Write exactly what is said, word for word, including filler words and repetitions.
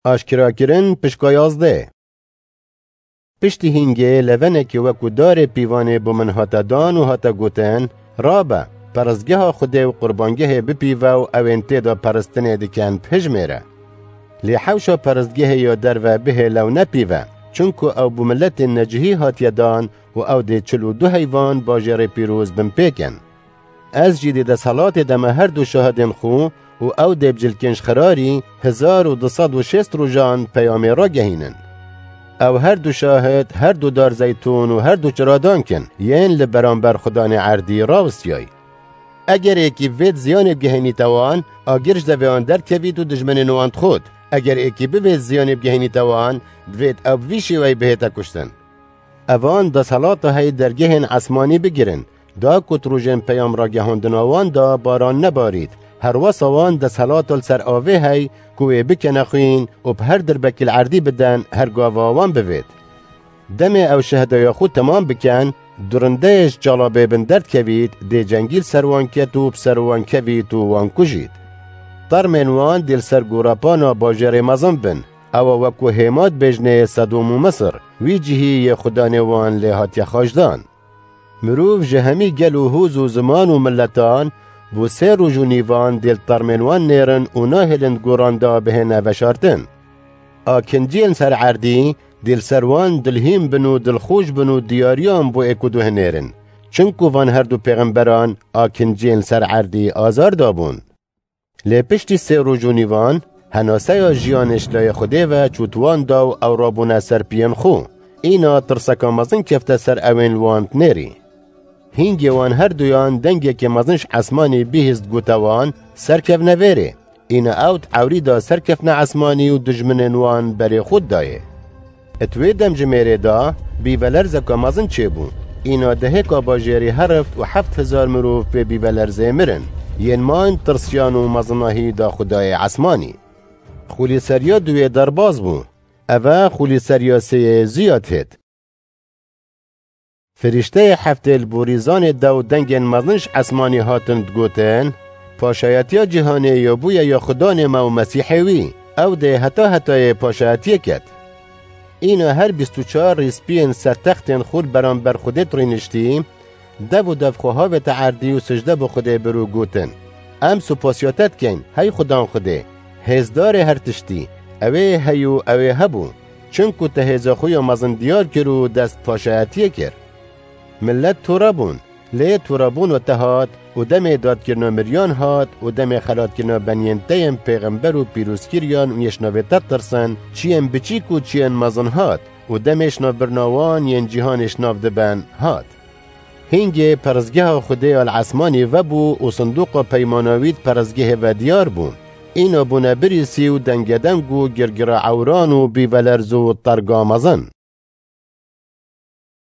Aşkerakirin pişka yazdeh. Piştî hîngê levenekê wekû darê pîvanê bo min hate dan û hate gotin, Rabe, perestgeha Xwedê û qurbangehê bipîve û ew ên tê de peristinê dikin bihijmêre. Lê hewşa perestgehê ya derve bihêle û nepîve, çunku ew bo miletên necihî hatiye dan û ew dê çil û du heyvan bajêrê pîroz bin pêk in. Ez jî di desthilatê de me her du şahidên xwe û ew dê bi cilkên ji xirarî hezar û du sed û şêst rojan peyamê ragehînin. Ew her du şahid, her du dar zeytûn û her du çiradank in, yên li beramber xudanê erdî rawistiyay. Eger êkî vêt ziyanê bigehînîte wan, agir ji devê wan derkevît û dijminên wan dixwit. Eger êkî bivêt ziyanê bigehînîte wan, divêt ew bi vî şêweyî bihête kuştin. Evan desthilata hey dergehên esmanî bigirin, da ku di rojên peyam ragihandina wan de baran nebarît, herwesa wan desthilata li ser avê hey ku wê bikene xwîn û bi her dirbekî li erdî biden her gava wan bivêt. Demê ew şehdeya xwe temam bikin, durindeyê ji çalabê bin derdkevît, dê cengî li ser wan ket û bi ser wan kevît û wan kujît. Termên wan dê li ser gorepana bajêrê mezin bin, ewa wekû hêma dibêjnê Sedom û Misir, wî cihî yê xudanê wan lê hatiye xaçdan. Mirov ji hemî gel û hûz û ziman û miletan bo sê roj û nîvan dê li termên wan nêrin û nahêlin di goran de bihêne veşartin. Akinciyên ser erdî dê li ser wan dilhîn bin û dilxweş bin û diyariyan bo êk û du hinêrin. Çinku van her du pêxemberan akinciyên ser erdî azar dabûn. Lê piştî sê roj û nîvan, henaseya jiyanê ji layê Xwedê ve çût wan da û ew rabûne ser piyên xwe. Îna tirseka mezin kefte ser ewên li wan dinêrî. Hîngê wan her duyan dengekê mezin ji esmanî bihîst gote wan, Serkevne vêrê. Îna ew di ewrî de serkefne esmanî û dijminên wan berê xwe dayê. Di wê demjimêrê de bîvelerzeka mezin çêbû. Îna dehêka bajêrî herift û heft hezar mirov pê bîvelerzê mirin. Yên man tirsiyan û mezinahî da xwedayê esmanî. Xulîseriya duwê derbas bû. Eve xulîseriya sêyê ziyad hêt. Firîşteyê heftê li borîzanê de û dengên mezin ji esmanî hatin digotin, Paşayetiya cîhanê ya bûye ya Xudanê me û Mesîhê wî, ew dê heta hetayê paşayetiyê ket. Îna her bîst û çar rîspiyên ser textên xwe li beramber Xwedê rîniştî, dev û dev xwe havête erdî û sicde bi Xwedê bir û gotin, Em supasiya te dikeyn, hey Xudan Xwedê, hêzdarê her tiştî, ewê heyî û ewê hebû, çinku te hêza xwe ya mezin diyar kir û dest paşayetiyê kir. Milet tore bûn, lê torebûna te hat û demê dadkirina miriyan hat û demê xelatkirina beniyên te yên pêxember û pîrozkiriyan û yê ji navê te tirsin, çiyên biçîk û çiyên mezin hat û demê ji navbirina wan yên cîhanê ji nav diben hat. Hîngê perestgeha Xwedê ya li esmanî vebû û sindoqa peymana wî di perestgehê ve diyar bû. Îna bûne birîsî û dengedeng û girgira ewran û bîvelerz û terga mezin.